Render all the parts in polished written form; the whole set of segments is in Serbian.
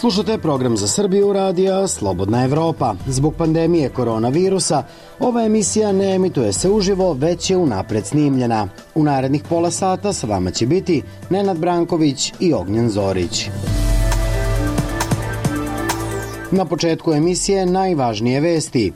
Slušate program za Srbiju radija Slobodna Evropa. Zbog pandemije koronavirusa, ova emisija ne emituje se uživo, već je unapred snimljena. U narednih pola sata sa vama će biti Nenad Branković i Ognjen Zorić. Na početku emisije najvažnije vesti.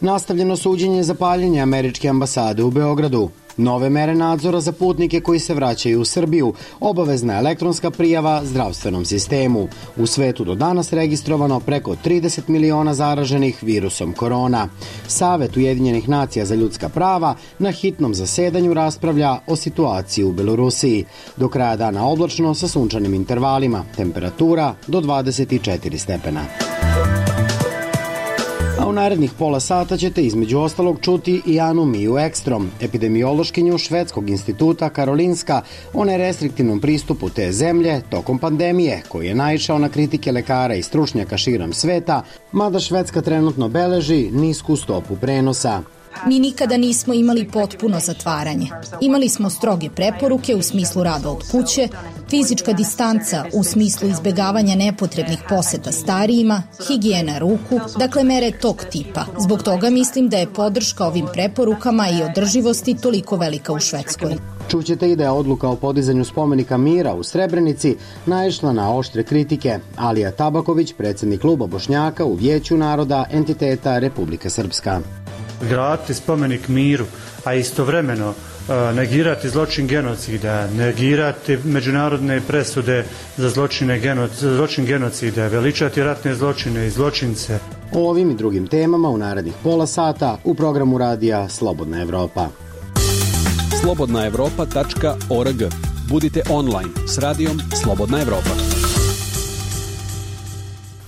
Nastavljeno suđenje za paljenje američke ambasade u Beogradu. Nove mere nadzora za putnike koji se vraćaju u Srbiju, obavezna elektronska prijava zdravstvenom sistemu. U svetu do danas registrovano preko 30 miliona zaraženih virusom korona. Savet Ujedinjenih nacija za ljudska prava na hitnom zasedanju raspravlja o situaciji u Belorusiji. Do kraja dana oblačno sa sunčanim intervalima, temperatura do 24 stepena. A u narednih pola sata ćete između ostalog čuti i Anu Miju Ekstrom, epidemiološkinju Švedskog instituta Karolinska, o nerestriktivnom pristupu te zemlje tokom pandemije, koji je naišao na kritike lekara i stručnjaka širom sveta, mada Švedska trenutno beleži nisku stopu prenosa. Mi nikada nismo imali potpuno zatvaranje. Imali smo stroge preporuke u smislu rada od kuće, fizička distanca u smislu izbegavanja nepotrebnih poseta starijima, higijena ruku, dakle mere tog tipa. Zbog toga mislim da je podrška ovim preporukama i održivosti toliko velika u Švedskoj. Čućete i da je odluka o podizanju spomenika mira u Srebrenici naišla na oštre kritike. Alija Tabaković, predsjednik kluba Bošnjaka u Vijeću naroda entiteta Republika Srpska. Graditi spomenik miru, a istovremeno negirati zločin genocida, negirati međunarodne presude za zločin genocida, veličati ratne zločine i zločince. O ovim i drugim temama u narednih pola sata u programu radija Slobodna Evropa. slobodnaevropa.org. Budite online s radijom Slobodna Evropa.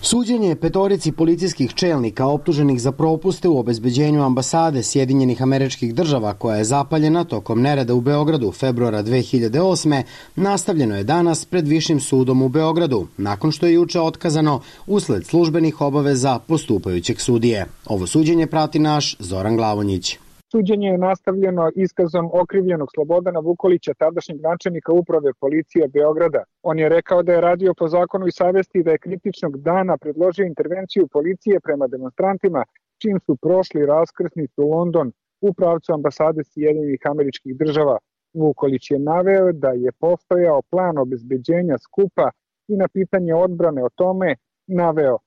Suđenje petorici policijskih čelnika optuženih za propuste u obezbeđenju ambasade Sjedinjenih Američkih Država koja je zapaljena tokom nereda u Beogradu februara 2008. nastavljeno je danas pred Višim sudom u Beogradu, nakon što je juče otkazano usled službenih obaveza postupajućeg sudije. Ovo suđenje prati naš Zoran Glavonjić. Suđenje je nastavljeno iskazom okrivljenog Slobodana Vukolića, tadašnjeg načelnika uprave policije Beograda. On je rekao da je radio po zakonu i savesti i da je kritičnog dana predložio intervenciju policije prema demonstrantima, čim su prošli raskrsnicu London u pravcu ambasade Sjedinjenih Američkih Država. Vukolić je naveo da je postojao plan obezbeđenja skupa i na pitanje odbrane o tome naveo: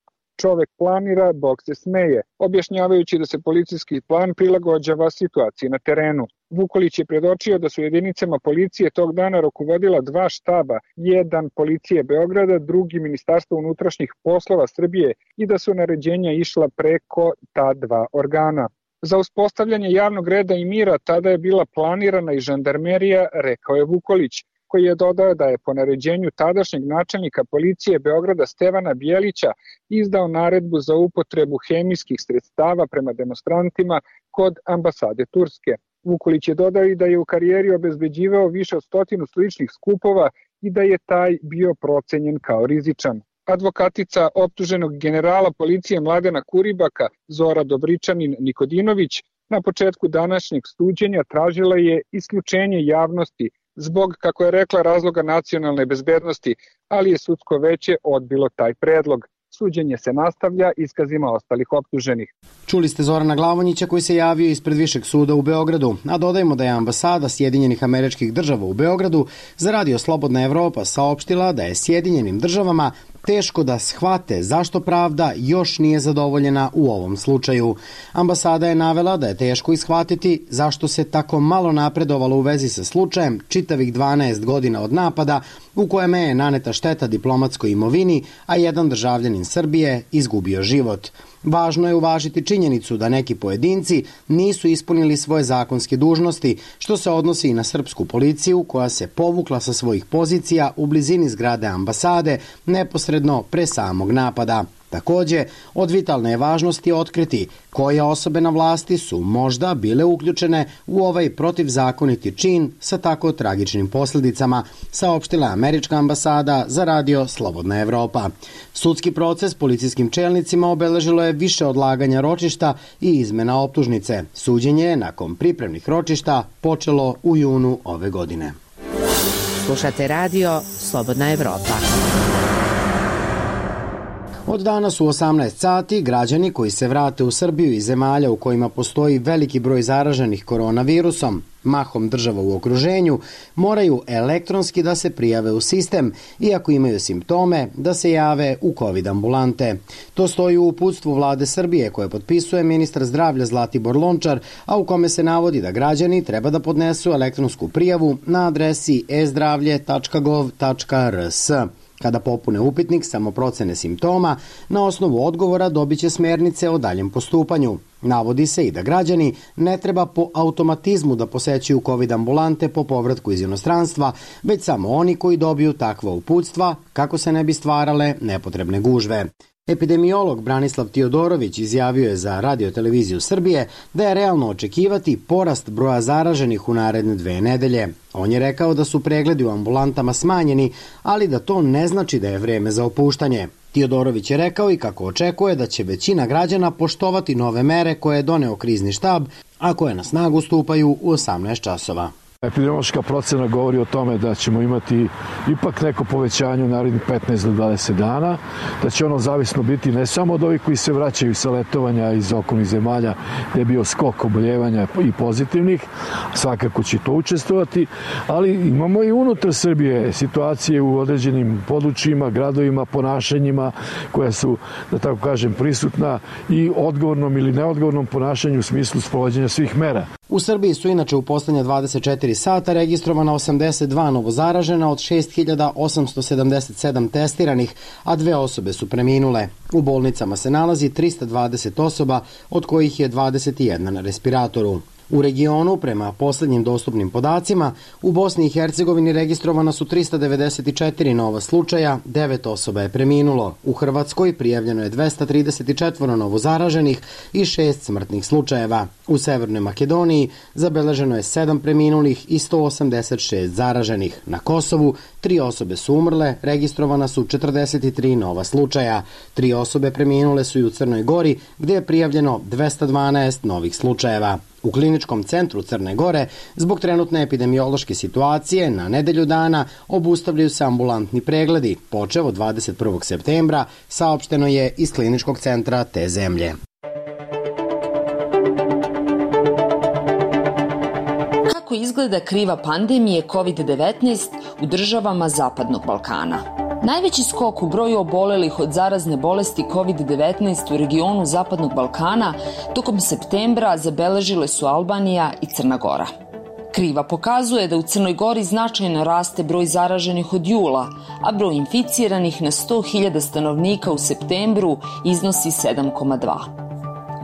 čovek planira, Bog se smeje, objašnjavajući da se policijski plan prilagođava situaciji na terenu. Vukolić je predočio da su jedinicama policije tog dana rukovodila dva štaba, jedan policije Beograda, drugi Ministarstvo unutrašnjih poslova Srbije i da su naređenja išla preko ta dva organa. Za uspostavljanje javnog reda i mira tada je bila planirana i žandarmerija, rekao je Vukolić, koji je dodao da je po naređenju tadašnjeg načelnika policije Beograda Stevana Bjelića izdao naredbu za upotrebu hemijskih sredstava prema demonstrantima kod ambasade Turske. Vukolić je dodao i da je u karijeri obezbeđivao više od 100 sličnih skupova i da je taj bio procenjen kao rizičan. Advokatica optuženog generala policije Mladena Kuribaka, Zora Dobričanin Nikodinović, na početku današnjeg suđenja tražila je isključenje javnosti zbog, kako je rekla, razloga nacionalne bezbednosti, ali je sudsko veće odbilo taj predlog. Suđenje se nastavlja iskazima ostalih optuženih. Čuli ste Zorana Glavonjića koji se javio ispred Višeg suda u Beogradu, a dodajemo da je ambasada Sjedinjenih Američkih Država u Beogradu za radio Slobodna Evropa saopštila da je Sjedinjenim Državama teško da shvate zašto pravda još nije zadovoljena u ovom slučaju. Ambasada je navela da je teško ishvatiti zašto se tako malo napredovalo u vezi sa slučajem čitavih 12 godina od napada u kojem je naneta šteta diplomatskoj imovini, a jedan državljanin Srbije izgubio život. Važno je uvažiti činjenicu da neki pojedinci nisu ispunili svoje zakonske dužnosti, što se odnosi i na srpsku policiju koja se povukla sa svojih pozicija u blizini zgrade ambasade neposredno pre samog napada. Takođe, od vitalne je važnosti otkriti koje osobe na vlasti su možda bile uključene u ovaj protivzakoniti čin sa tako tragičnim posljedicama, saopštila američka ambasada za radio Slobodna Evropa. Sudski proces policijskim čelnicima obeležilo je više odlaganja ročišta i izmena optužnice. Suđenje je nakon pripremnih ročišta počelo u junu ove godine. Slušate radio Slobodna Evropa. Od danas u 18 sati građani koji se vrate u Srbiju iz zemalja u kojima postoji veliki broj zaraženih koronavirusom, mahom država u okruženju, moraju elektronski da se prijave u sistem i ako imaju simptome da se jave u COVID ambulante. To stoji u uputstvu Vlade Srbije koje potpisuje ministar zdravlja Zlatibor Lončar, a u kome se navodi da građani treba da podnesu elektronsku prijavu na adresi e-zdravlje.gov.rs. Kada popune upitnik samoprocene simptoma, na osnovu odgovora dobiće smernice o daljem postupanju. Navodi se i da građani ne treba po automatizmu da posećuju COVID ambulante po povratku iz inostranstva, već samo oni koji dobiju takva uputstva kako se ne bi stvarale nepotrebne gužve. Epidemiolog Branislav Tiodorović izjavio je za Radio-televiziju Srbije da je realno očekivati porast broja zaraženih u naredne 2 nedelje. On je rekao da su pregledi u ambulantama smanjeni, ali da to ne znači da je vreme za opuštanje. Tiodorović je rekao i kako očekuje da će većina građana poštovati nove mere koje je doneo krizni štab, a koje na snagu stupaju u 18 časova. Epidemiološka procena govori o tome da ćemo imati ipak neko povećanje u narednih 15 do 20 dana, da će ono zavisno biti ne samo od ovih koji se vraćaju sa letovanja iz okolnih zemalja gde je bio skok oboljevanja i pozitivnih, svakako će to učestvovati, ali imamo i unutar Srbije situacije u određenim područjima, gradovima, ponašanjima koja su, da tako kažem, prisutna i odgovornom ili neodgovornom ponašanju u smislu sprovođenja svih mera. U Srbiji su inače u poslednja 24 sata registrovana 82 novozaražena od 6.877 testiranih, a 2 osobe su preminule. U bolnicama se nalazi 320 osoba, od kojih je 21 na respiratoru. U regionu, prema poslednjim dostupnim podacima, u Bosni i Hercegovini registrovana su 394 nova slučaja, 9 osoba je preminulo. U Hrvatskoj prijavljeno je 234 novozaraženih i 6 smrtnih slučajeva. U Severnoj Makedoniji zabeleženo je 7 preminulih i 186 zaraženih. Na Kosovu 3 osobe su umrle, registrovana su 43 nova slučaja. 3 osobe preminule su i u Crnoj Gori, gde je prijavljeno 212 novih slučajeva. U Kliničkom centru Crne Gore, zbog trenutne epidemiološke situacije, na nedelju dana obustavljaju se ambulantni pregledi. Počev od 21. septembra, saopšteno je iz Kliničkog centra te zemlje. Kako izgleda kriva pandemije COVID-19 u državama Zapadnog Balkana? Najveći skok u broju obolelih od zarazne bolesti COVID-19 u regionu Zapadnog Balkana tokom septembra zabeležile su Albanija i Crna Gora. Kriva pokazuje da u Crnoj Gori značajno raste broj zaraženih od jula, a broj inficiranih na 100.000 stanovnika u septembru iznosi 7,2.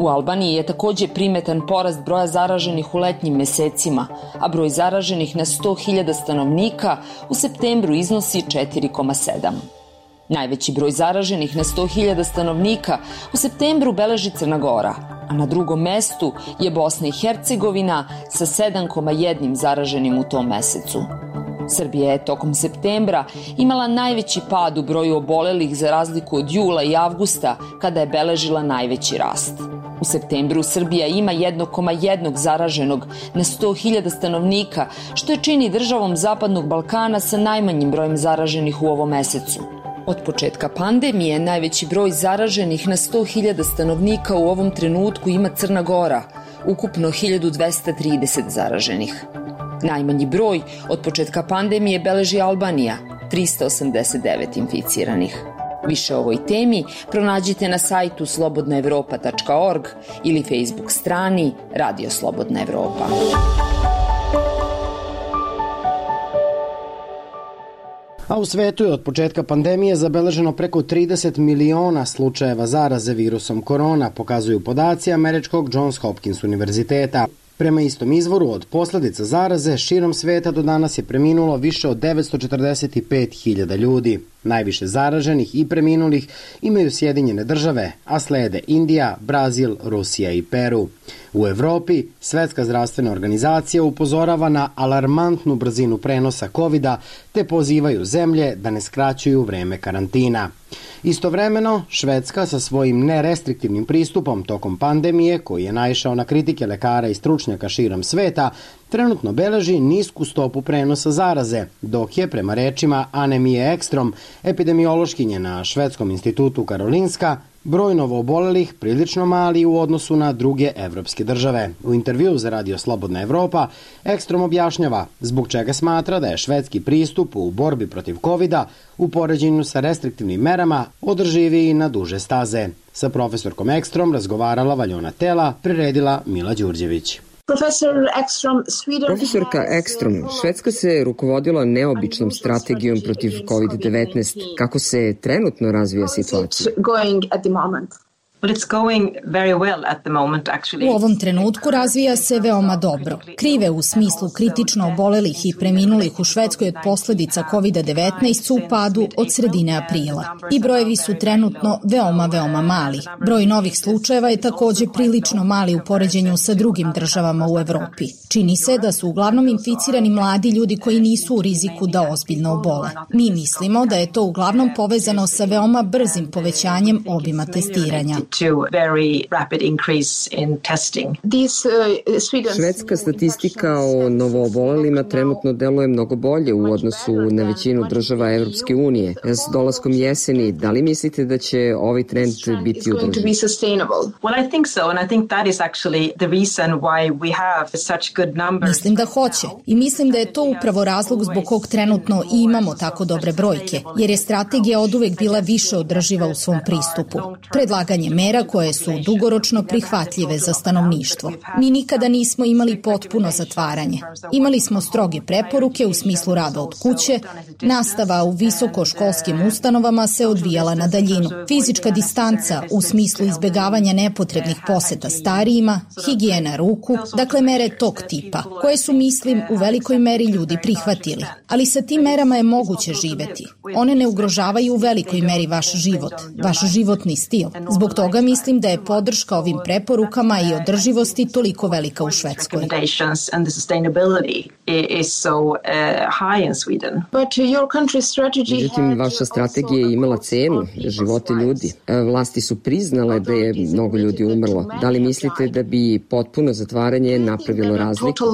U Albaniji je takođe primetan porast broja zaraženih u letnjim mesecima, a broj zaraženih na 100.000 stanovnika u septembru iznosi 4,7. Najveći broj zaraženih na 100.000 stanovnika u septembru beleži Crna Gora, a na drugom mestu je Bosna i Hercegovina sa 7,1 zaraženim u tom mesecu. Srbija je tokom septembra imala najveći pad u broju obolelih za razliku od jula i avgusta, kada je beležila najveći rast. U septembru Srbija ima 1,1 zaraženog na 100.000 stanovnika, što je čini državom Zapadnog Balkana sa najmanjim brojem zaraženih u ovom mesecu. Od početka pandemije najveći broj zaraženih na 100.000 stanovnika u ovom trenutku ima Crna Gora, ukupno 1.230 zaraženih. Najmanji broj od početka pandemije beleži Albanija, 389 inficiranih. Više o ovoj temi pronađite na sajtu slobodnaevropa.org ili Facebook strani Radio Slobodna Evropa. A u svetu je od početka pandemije zabeleženo preko 30 miliona slučajeva zaraze virusom korona, pokazuju podaci američkog Johns Hopkins univerziteta. Prema istom izvoru, od posledica zaraze širom sveta do danas je preminulo više od 945.000 ljudi. Najviše zaraženih i preminulih imaju Sjedinjene države, a slede Indija, Brazil, Rusija i Peru. U Evropi Svetska zdravstvena organizacija upozorava na alarmantnu brzinu prenosa COVID-a te pozivaju zemlje da ne skraćuju vreme karantina. Istovremeno, Švedska sa svojim nerestriktivnim pristupom tokom pandemije, koji je naišao na kritike lekara i stručnjaka širom sveta, trenutno beleži nisku stopu prenosa zaraze, dok je, prema rečima Ane Mije Ekstrom, epidemiološkinje na Švedskom institutu Karolinska, broj novoobolelih prilično mali u odnosu na druge evropske države. U intervju za Radio Slobodna Evropa Ekstrom objašnjava zbog čega smatra da je švedski pristup u borbi protiv COVID-a u poređenju sa restriktivnim merama održiviji na duže staze. Sa profesorkom Ekstrom razgovarala Valjona Tela, priredila Mila Đurđević. Profesorka Ekstrom, Švedska se rukovodila neobičnom strategijom protiv COVID-19. Kako se trenutno razvija situacija? U ovom trenutku razvija se veoma dobro. Krive u smislu kritično obolelih i preminulih u Švedskoj od posledica COVID-19 su u padu od sredine aprila. I brojevi su trenutno veoma mali. Broj novih slučajeva je takođe prilično mali u poređenju sa drugim državama u Evropi. Čini se da su uglavnom inficirani mladi ljudi koji nisu u riziku da ozbiljno obole. Mi mislimo da je to uglavnom povezano sa veoma brzim povećanjem obima testiranja. Švedska statistika o novoobolelima trenutno deluje mnogo bolje u odnosu na većinu država Evropske unije. S dolaskom jeseni, da li mislite da će ovaj trend biti održiv? Mislim da hoće i mislim da je to upravo razlog zbog kog trenutno i imamo tako dobre brojke, jer je strategija oduvek bila više održiva u svom pristupu. Predlaganje mera koje su dugoročno prihvatljive za stanovništvo. Mi nikada nismo imali potpuno zatvaranje. Imali smo stroge preporuke u smislu rada od kuće, nastava u visokoškolskim ustanovama se odvijala na daljinu, fizička distanca u smislu izbegavanja nepotrebnih poseta starijima, higijena ruku, dakle mere tog tipa, koje su, mislim, u velikoj meri ljudi prihvatili. Ali sa tim merama je moguće živeti. One ne ugrožavaju u velikoj meri vaš život, vaš životni stil. Zbog toga mislim da je podrška ovim preporukama i održivosti toliko velika u Švedskoj. Međutim, vaša strategija je imala cenu, živote ljudi. Vlasti su priznale da je mnogo ljudi umrlo. Da li mislite da bi potpuno zatvaranje napravilo razliku?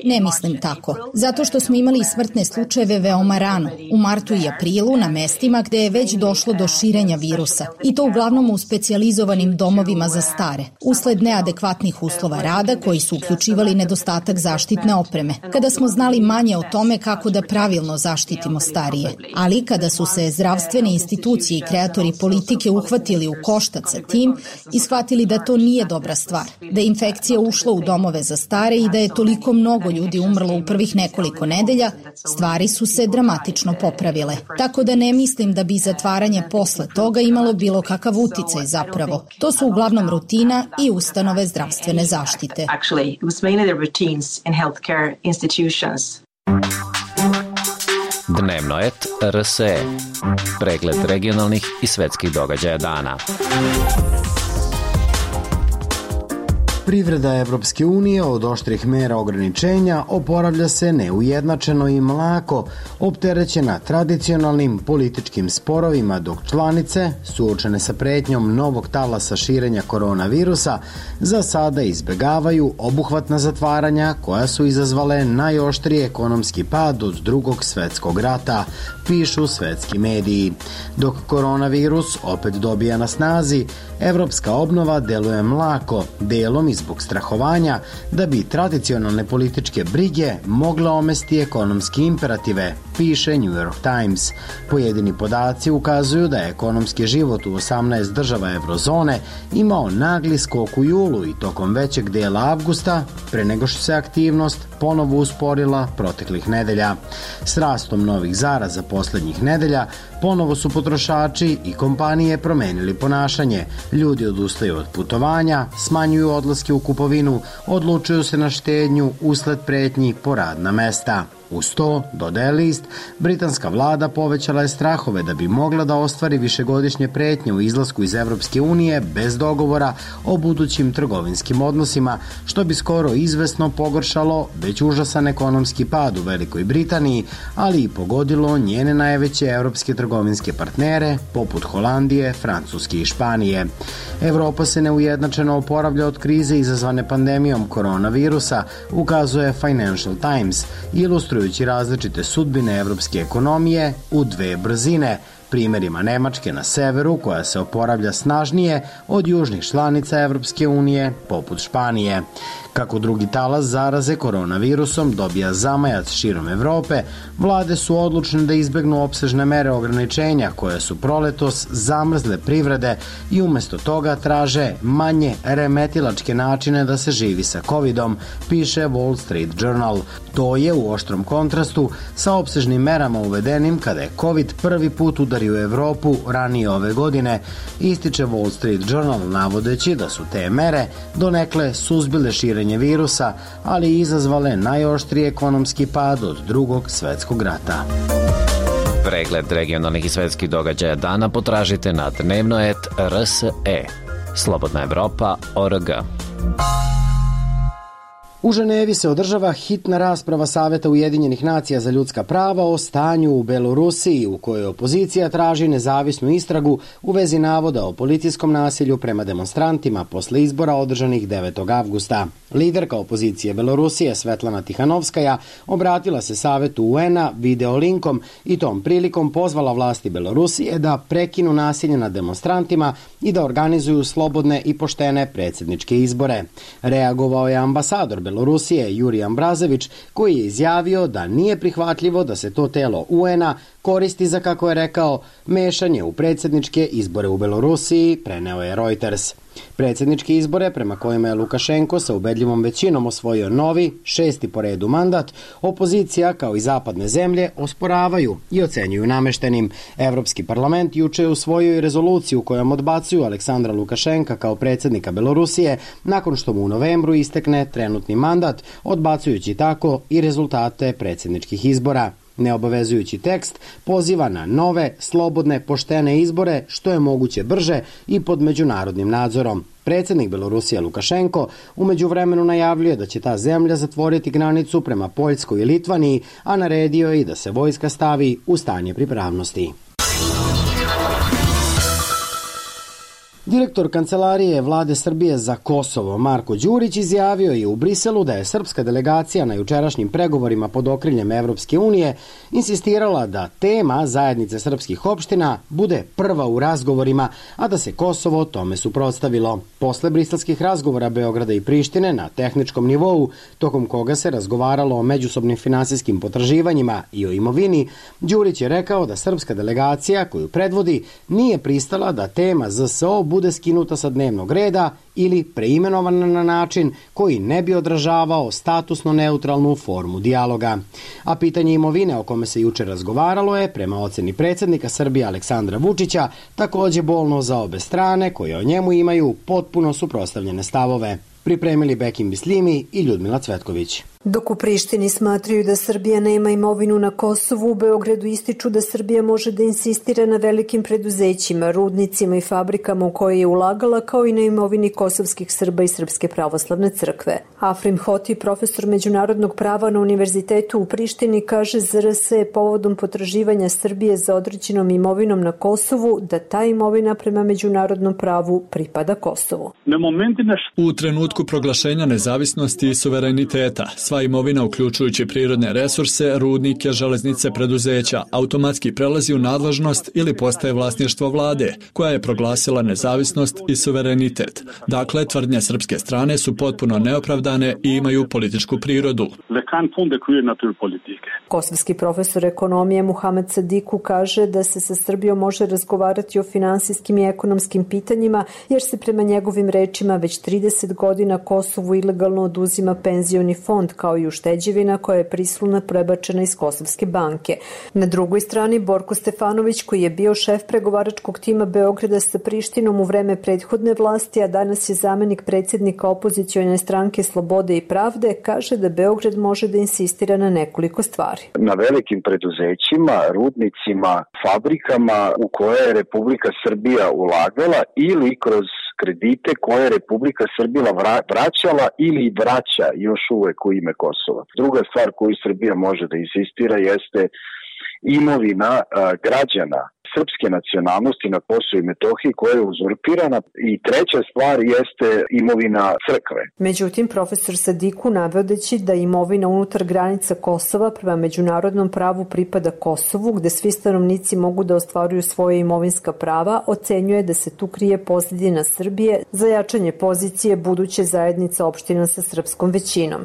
Ne mislim tako, zato što smo imali smrtne slučajeve veoma rano, u martu i aprilu na mestima gde je već došlo do širenja virusa, i to uglavnom u specijalizovanim domovima za stare, usled neadekvatnih uslova rada koji su uključivali nedostatak zaštitne opreme, kada smo znali manje o tome kako da pravilno zaštitimo starije. Ali kada su se zdravstvene institucije i kreatori politike uhvatili u koštac sa tim i shvatili da to nije dobra stvar, da je infekcija ušla u domove za stare i da je toliko mnogo ljudi umrlo u prvih nekoliko nedelja, stvari su se dramatično popravile. Tako da ne mislim da bi zatvaranje posle toga imalo bilo kakav uticaj zapravo. To su uglavnom rutina i ustanove zdravstvene zaštite. Dnevnoet RSE. Pregled regionalnih i svetskih događaja dana. Privreda Evropske unije od oštrih mera ograničenja oporavlja se neujednačeno i mlako, opterećena tradicionalnim političkim sporovima, dok članice, suočene sa pretnjom novog talasa širenja koronavirusa, za sada izbegavaju obuhvatna zatvaranja koja su izazvale najoštriji ekonomski pad od Drugog svetskog rata, pišu svetski mediji. Dok koronavirus opet dobija na snazi, evropska obnova deluje mlako, delom i zbog strahovanja da bi tradicionalne političke brige mogle omesti ekonomski imperative, piše New York Times. Pojedini podaci ukazuju da je ekonomski život u 18 država eurozone imao nagli skok u julu i tokom većeg dela avgusta, pre nego što se aktivnost ponovo usporila proteklih nedelja. S rastom novih zaraza poslednjih nedelja, ponovo su potrošači i kompanije promenili ponašanje. Ljudi odustaju od putovanja, smanjuju odlaske u kupovinu, odlučuju se na štednju usled pretnji po radna mesta. Uz to, dodaje list, britanska vlada povećala je strahove da bi mogla da ostvari višegodišnje pretnje u izlasku iz Evropske unije bez dogovora o budućim trgovinskim odnosima, što bi skoro izvesno pogoršalo već užasan ekonomski pad u Velikoj Britaniji, ali i pogodilo njene najveće evropske trgovinske partnere, poput Holandije, Francuske i Španije. Evropa se neujednačeno oporavlja od krize izazvane pandemijom koronavirusa, ukazuje Financial Times, ilustrujući različite sudbine evropske ekonomije u dve brzine, primjerima Nemačke na severu, koja se oporavlja snažnije od južnih članica Evropske unije, poput Španije. Kako drugi talas zaraze koronavirusom dobija zamajac širom Evrope, vlade su odlučne da izbegnu opsežne mere ograničenja koje su proletos zamrzle privrede i umesto toga traže manje remetilačke načine da se živi sa covidom, piše Wall Street Journal. To je u oštrom kontrastu sa opsežnim merama uvedenim kada je covid prvi put udario Evropu ranije ove godine, ističe Wall Street Journal navodeći da su te mere donekle suzbile širenje virusa, ali i izazvale najoštriji ekonomski pad od Drugog svetskog rata. Pregled regionalnih i svetskih događaja dana potražite na dnevno.rs.e. Slobodna Evropa.org. U Ženevi se održava hitna rasprava Saveta Ujedinjenih nacija za ljudska prava o stanju u Belorusiji, u kojoj opozicija traži nezavisnu istragu u vezi navoda o policijskom nasilju prema demonstrantima posle izbora održanih 9. avgusta. Liderka opozicije Belorusije Svetlana Tihanovskaja obratila se Savetu UN-a videolinkom i tom prilikom pozvala vlasti Belorusije da prekinu nasilje nad demonstrantima i da organizuju slobodne i poštene predsjedničke izbore. Reagovao je ambasador Belorusije Jurij Ambrazević, koji je izjavio da nije prihvatljivo da se to telo UN-a koristi za, kako je rekao, mešanje u predsjedničke izbore u Belorusiji, preneo je Reuters. Predsjedničke izbore, prema kojima je Lukašenko sa ubedljivom većinom osvojio novi, 6. po redu mandat, opozicija kao i zapadne zemlje osporavaju i ocenjuju nameštenim. Evropski parlament juče je usvojio i rezoluciju kojom odbacuju Aleksandra Lukašenka kao predsjednika Belorusije nakon što mu u novembru istekne trenutni mandat, odbacujući tako i rezultate predsjedničkih izbora. Neobavezujući tekst poziva na nove, slobodne, poštene izbore što je moguće brže i pod međunarodnim nadzorom. Predsjednik Belorusije Lukašenko u međuvremenu najavljuje da će ta zemlja zatvoriti granicu prema Poljskoj i Litvaniji, a naredio je i da se vojska stavi u stanje pripravnosti. Direktor Kancelarije Vlade Srbije za Kosovo Marko Đurić izjavio je u Briselu da je srpska delegacija na jučerašnjim pregovorima pod okriljem Evropske unije insistirala da tema zajednice srpskih opština bude prva u razgovorima, a da se Kosovo tome suprotstavilo. Posle briselskih razgovora Beograda i Prištine na tehničkom nivou, tokom koga se razgovaralo o međusobnim finansijskim potraživanjima i o imovini, Đurić je rekao da srpska delegacija koju predvodi nije pristala da tema ZSO bude skinuta sa dnevnog reda ili preimenovana na način koji ne bi odražavao statusno neutralnu formu dijaloga. A pitanje imovine o kome se juče razgovaralo je, prema oceni predsjednika Srbije Aleksandra Vučića, takođe bolno za obe strane koje o njemu imaju potpuno suprotstavljene stavove. Pripremili Bekim Bislimi i Ljudmila Cvetković. Dok u Prištini smatraju da Srbija nema imovinu na Kosovu, u Beogradu ističu da Srbija može da insistira na velikim preduzećima, rudnicima i fabrikama u koje je ulagala, kao i na imovini kosovskih Srba i Srpske pravoslavne crkve. Afrim Hoti, profesor međunarodnog prava na Univerzitetu u Prištini, kaže za RS povodom potraživanja Srbije za određenom imovinom na Kosovu da ta imovina prema međunarodnom pravu pripada Kosovu. U trenutku proglašenja nezavisnosti i suvereniteta, sva imovina, uključujući prirodne resurse, rudnike, železnice, preduzeća, automatski prelazi u nadležnost ili postaje vlasništvo vlade, koja je proglasila nezavisnost i suverenitet. Dakle, tvrdnje srpske strane su potpuno neopravdane i imaju političku prirodu. Kosovski profesor ekonomije Muhamed Sadiku kaže da se sa Srbijom može razgovarati o finansijskim i ekonomskim pitanjima, jer se prema njegovim rečima već 30 godina Kosovu ilegalno oduzima penzioni fond kao i ušteđevina koja je prisilno prebačena iz Kosovske banke. Na drugoj strani Borko Stefanović, koji je bio šef pregovaračkog tima Beograda sa Prištinom u vreme prethodne vlasti, a danas je zamenik predsjednika opozicione stranke Slobode i pravde, kaže da Beograd može da insistira na nekoliko stvari. Na velikim preduzećima, rudnicima, fabrikama u koje je Republika Srbija ulagala ili kroz kredite koje je Republika Srbija vraćala ili vraća još uvek u ime Kosova. Druga stvar koju Srbija može da insistira jeste imovina građana srpske nacionalnosti na Kosovu i Metohiji koja je uzurpirana i treća stvar jeste imovina crkve. Međutim, profesor Sadiku, navodeći da imovina unutar granica Kosova prema međunarodnom pravu pripada Kosovu, gde svi stanovnici mogu da ostvaruju svoje imovinska prava, ocenjuje da se tu krije pozadina Srbije za jačanje pozicije buduće zajednice opština sa srpskom većinom.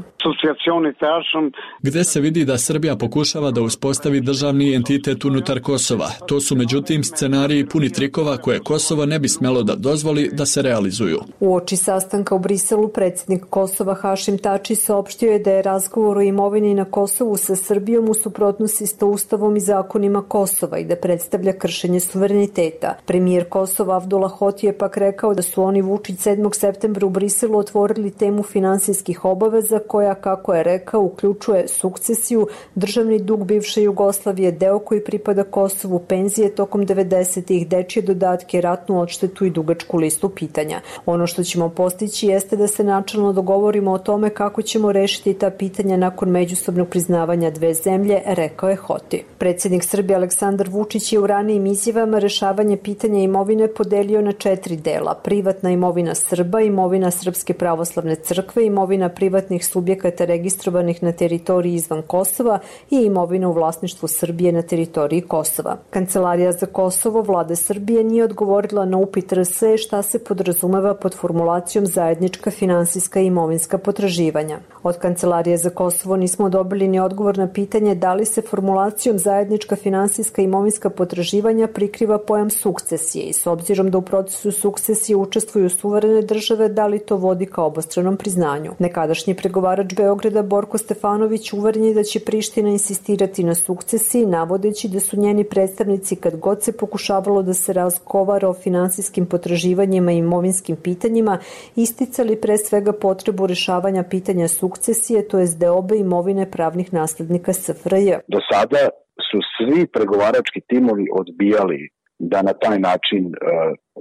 Gde se vidi da Srbija pokušava da uspostavi državni entitet unutar Kosova. To su međutim scenariji puni trikova koje Kosovo ne bi smelo da dozvoli da se realizuju. Uoči sastanka u Briselu predsjednik Kosova Hašim Tači saopštio je da je razgovor o imovini na Kosovu sa Srbijom u suprotnosti sa Ustavom i zakonima Kosova i da predstavlja kršenje suvereniteta. Premijer Kosova Avdullah Hoti je pak rekao da su oni Vučić 7. septembra u Briselu otvorili temu finansijskih obaveza koja, kako je rekao, uključuje sukcesiju, državni dug bivše Jugoslavije, deo koji pripada Kosovu, penzije tokom 90-ih, dečje dodatke, ratnu odštetu i dugačku listu pitanja. Ono što ćemo postići jeste da se načelno dogovorimo o tome kako ćemo rešiti ta pitanja nakon međusobnog priznavanja dve zemlje, rekao je Hoti. Predsjednik Srbije Aleksandar Vučić je u ranijim izjavama rešavanje pitanja imovine podelio na 4 dela: privatna imovina Srba, imovina Srpske pravoslavne crkve, imovina privatnih subjekata registrovanih na teritoriji izvan Kosova i imovina u vlasništvu Srbije na teritoriji Kosova. Kancelarija za Kosovo Vlade Srbije nije odgovorila na upit RS šta se podrazumeva pod formulacijom zajednička finansijska i imovinska potraživanja. Od Kancelarije za Kosovo nismo dobili ni odgovor na pitanje da li se formulacijom zajednička finansijska i imovinska potraživanja prikriva pojam sukcesije i s obzirom da u procesu sukcesije učestvuju suverene države, da li to vodi ka obostranom priznanju. Nekadašnji pregovarač Beograda Borko Stefanović uveren je da će Priština insistirati na sukcesiji, navodeći da su njeni predstavnici kad god se pokušavalo da se razgovara o finansijskim potraživanjima i imovinskim pitanjima, isticali pre svega potrebu rešavanja pitanja sukcesije, to jest deobe imovine pravnih naslednika SFRJ. Do sada su svi pregovarački timovi odbijali da na taj način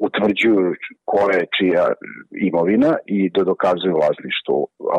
utvrđuju koja je čija imovina i da dokazuju vlasništvo,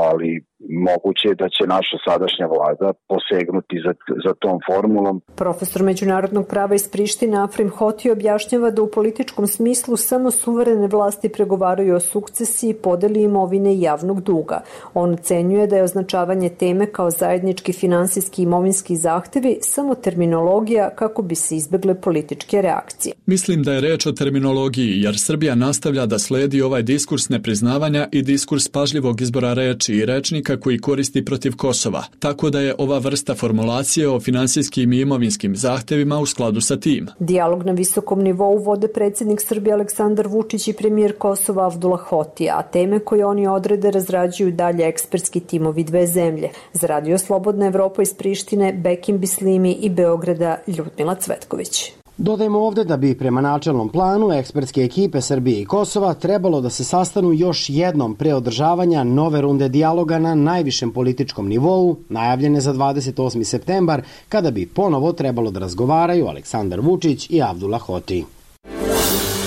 ali moguće je da će naša sadašnja vlada posegnuti za tom formulom. Profesor međunarodnog prava iz Prištine Afrim Hoti objašnjava da u političkom smislu samo suverene vlasti pregovaraju o sukcesiji, podeli imovine i javnog duga. On ocenjuje da je označavanje teme kao zajednički finansijski i imovinski zahtevi samo terminologija kako bi se izbegle političke reakcije. Mislim da je reč o terminologiji, jer Srbija nastavlja da sledi ovaj diskurs nepriznavanja i diskurs pažljivog izbora reči i rečnika koji koristi protiv Kosova, tako da je ova vrsta formulacije o finansijskim i imovinskim zahtevima u skladu sa tim. Dijalog na visokom nivou vode predsjednik Srbije Aleksandar Vučić i premijer Kosova Avdullah Hoti, a teme koje oni odrede razrađuju dalje ekspertski timovi dve zemlje. Za Radio Slobodna Evropa iz Prištine, Bekim Bislimi i Beograda, Ljudmila Cvetković. Dodajmo ovde da bi prema načelnom planu ekspertske ekipe Srbije i Kosova trebalo da se sastanu još jednom pre održavanja nove runde dijaloga na najvišem političkom nivou, najavljene za 28. septembar, kada bi ponovo trebalo da razgovaraju Aleksandar Vučić i Avdullah Hoti.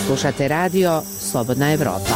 Slušate radio Slobodna Evropa.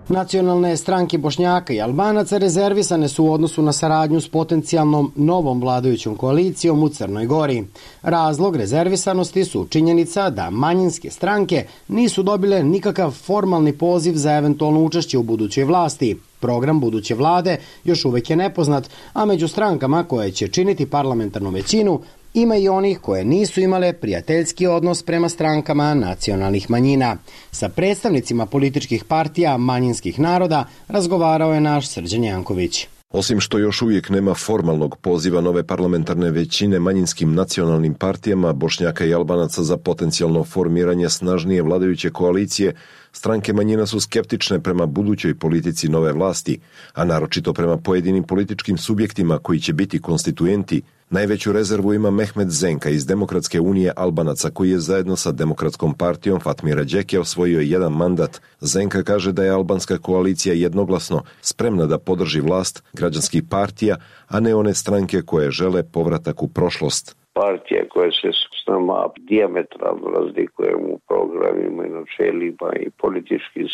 Nacionalne stranke Bošnjaka i Albanaca rezervisane su u odnosu na saradnju s potencijalnom novom vladajućom koalicijom u Crnoj Gori. Razlog rezervisanosti su činjenica da manjinske stranke nisu dobile nikakav formalni poziv za eventualno učešće u budućoj vlasti. Program buduće vlade još uvek je nepoznat, a među strankama koje će činiti parlamentarnu većinu ima i onih koje nisu imale prijateljski odnos prema strankama nacionalnih manjina. Sa predstavnicima političkih partija manjinskih naroda razgovarao je naš Srđan Janković. Osim što još uvijek nema formalnog poziva nove parlamentarne većine manjinskim nacionalnim partijama Bošnjaka i Albanaca za potencijalno formiranje snažnije vladajuće koalicije, stranke manjina su skeptične prema budućoj politici nove vlasti, a naročito prema pojedinim političkim subjektima koji će biti konstituenti. Najveću rezervu ima Mehmet Zenka iz Demokratske unije Albanaca, koji je zajedno sa Demokratskom partijom Fatmira Đeke osvojio jedan mandat. Zenka kaže da je albanska koalicija jednoglasno spremna da podrži vlast građanskih partija, a ne one stranke koje žele povratak u prošlost. Partija koja se s nama dijametralno razlikuje u programima i načelima i političkim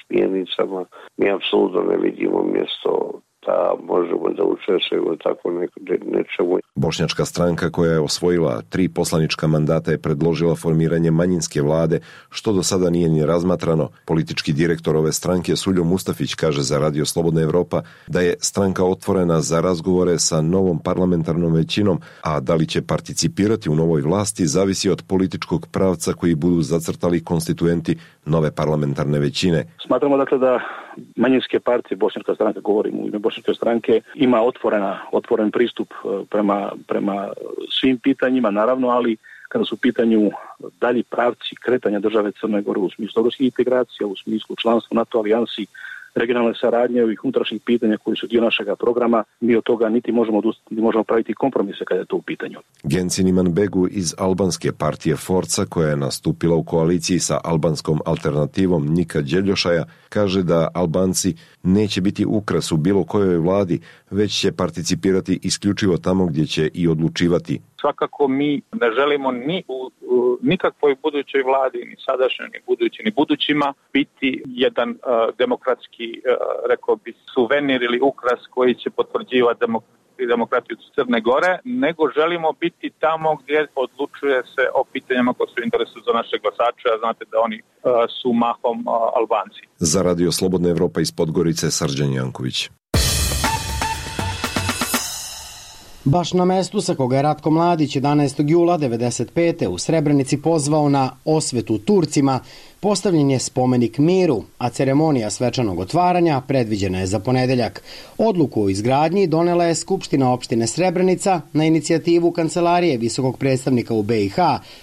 smjernicama, mi apsolutno ne vidimo mjesto da možemo da učestvujemo tako nečemu. Bošnjačka stranka koja je osvojila 3 poslanička mandata je predložila formiranje manjinske vlade, što do sada nije ni razmatrano. Politički direktor ove stranke Suljo Mustafić kaže za Radio Slobodna Evropa da je stranka otvorena za razgovore sa novom parlamentarnom većinom, a da li će participirati u novoj vlasti zavisi od političkog pravca koji budu zacrtali konstituenti nove parlamentarne većine. Smatramo dakle da manjinske partije, Bošnjačka stranka, govorimo u ime Bošnjačke stranke, ima otvoren pristup prema svim pitanjima, naravno, ali kada su u pitanju dalji pravci kretanja države Crne Gore u smislu evropskih integracija, u smislu članstva NATO alijansi, regionalne saradnje, ovih unutrašnjih pitanja koji su dio našega programa, mi od toga niti možemo odustati, niti možemo praviti kompromise kada je to u pitanju. Gencin Imanbegu iz albanske partije Forca, koja je nastupila u koaliciji sa albanskom alternativom Nika Đeljošaja, kaže da Albanci neće biti ukras u bilo kojoj vladi, već će participirati isključivo tamo gdje će i odlučivati. Svakako mi ne želimo ni u nikakvoj budućoj vladi, ni sadašnjoj, ni budući, ni budućima biti jedan demokratski, rekao bi, suvenir ili ukras koji će potvrđivati demokratiju Crne Gore, nego želimo biti tamo gdje odlučuje se o pitanjima koje su u interesu za naše glasače, a znate da oni su mahom Albanci. Za Radio Slobodna Evropa iz Podgorice, Srđan Janković. Baš na mestu sa koga je Ratko Mladić 11. jula 1995. u Srebrenici pozvao na osvetu Turcima, postavljen je spomenik miru, a ceremonija svečanog otvaranja predviđena je za ponedeljak. Odluku o izgradnji donela je Skupština opštine Srebrenica na inicijativu Kancelarije visokog predstavnika u BiH,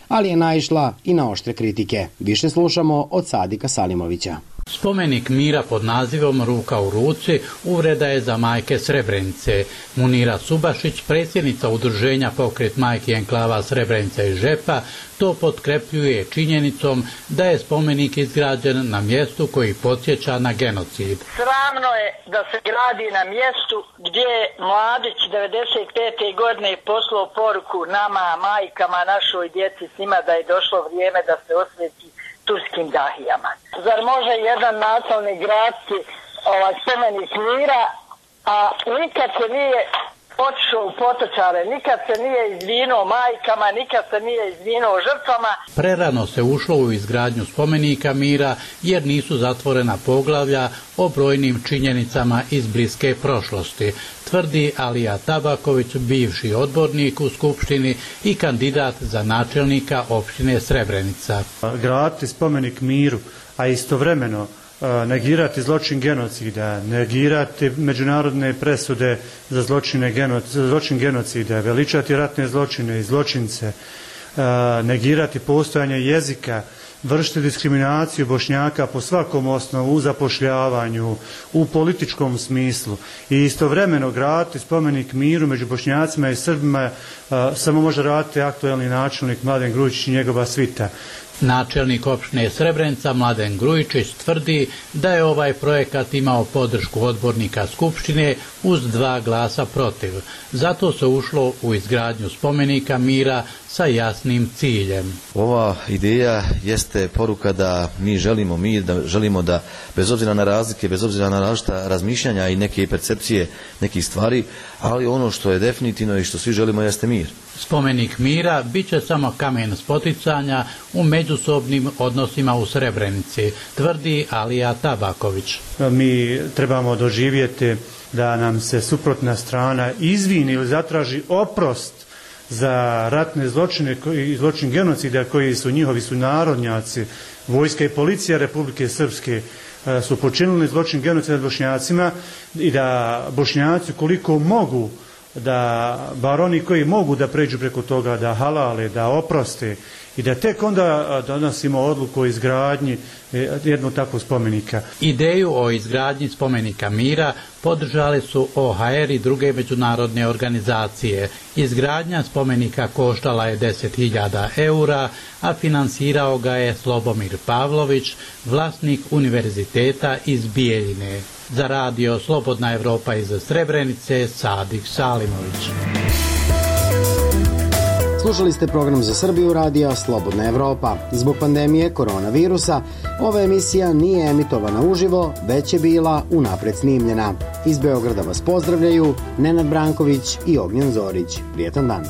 ali je naišla i na oštre kritike. Više slušamo od Sadika Salimovića. Spomenik mira pod nazivom Ruka u ruci uvreda je za majke Srebrenice. Munira Subašić, predsjednica udruženja Pokret majki enklava Srebrenica i Žepa, to potkrepljuje činjenicom da je spomenik izgrađen na mjestu koji podsjeća na genocid. Sramno je da se gradi na mjestu gdje je Mladić 95. godine poslao poruku nama, majkama, našoj djeci, s njima da je došlo vrijeme da se osveti turskim dahijama. Zar može jedan nacionalni gradski spomenik mira, a nikad se nije otišao u potočare, nikad se nije izvinuo majkama, nikad se nije izvinuo žrtvama. Prerano se ušlo u izgradnju spomenika mira jer nisu zatvorena poglavlja o brojnim činjenicama iz bliske prošlosti, tvrdi Alija Tabaković, bivši odbornik u Skupštini i kandidat za načelnika opštine Srebrenica. Graditi spomenik miru, a istovremeno negirati zločin genocida, negirati međunarodne presude za zločin genocida, veličati ratne zločine i zločince, negirati postojanje jezika, vršiti diskriminaciju Bošnjaka po svakom osnovu u zapošljavanju, u političkom smislu i istovremeno graditi spomenik miru među Bošnjacima i Srbima samo može raditi aktuelni načelnik Mladen Grujičić i njegova svita. Načelnik opštine Srebrenica Mladen Grujičić tvrdi da je ovaj projekat imao podršku odbornika Skupštine uz 2 glasa protiv. Zato se ušlo u izgradnju spomenika mira sa jasnim ciljem. Ova ideja jeste poruka da mi želimo mir, da želimo da bez obzira na razlike, bez obzira na različita razmišljanja i neke percepcije nekih stvari, ali ono što je definitivno i što svi želimo jeste mir. Spomenik mira bit će samo kamen spoticanja u međusobnim odnosima u Srebrenici, tvrdi Alija Tabaković. Mi trebamo doživjeti da nam se suprotna strana izvini ili zatraži oprost za ratne zločine i zločin genocida koji su njihovi sunarodnjaci, vojska i policija Republike Srpske su počinili zločin genocida nad Bošnjacima i da Bošnjaci koliko mogu, da bar oni koji mogu da pređu preko toga, da halale, da oproste i da tek onda donosimo odluku o izgradnji jednog takvog spomenika. Ideju o izgradnji spomenika mira podržali su OHR i druge međunarodne organizacije. Izgradnja spomenika koštala je 10.000 eura, a finansirao ga je Slobomir Pavlović, vlasnik univerziteta iz Bijeljine. Za radio Slobodna Evropa iz Srebrenice, Sadik Salimović. Slušali ste program za Srbiju radija Slobodna Evropa. Zbog pandemije koronavirusa, ova emisija nije emitovana uživo, već je bila unapred snimljena. Iz Beograda vas pozdravljaju Nenad Branković i Ognjen Zorić. Prijetan dan.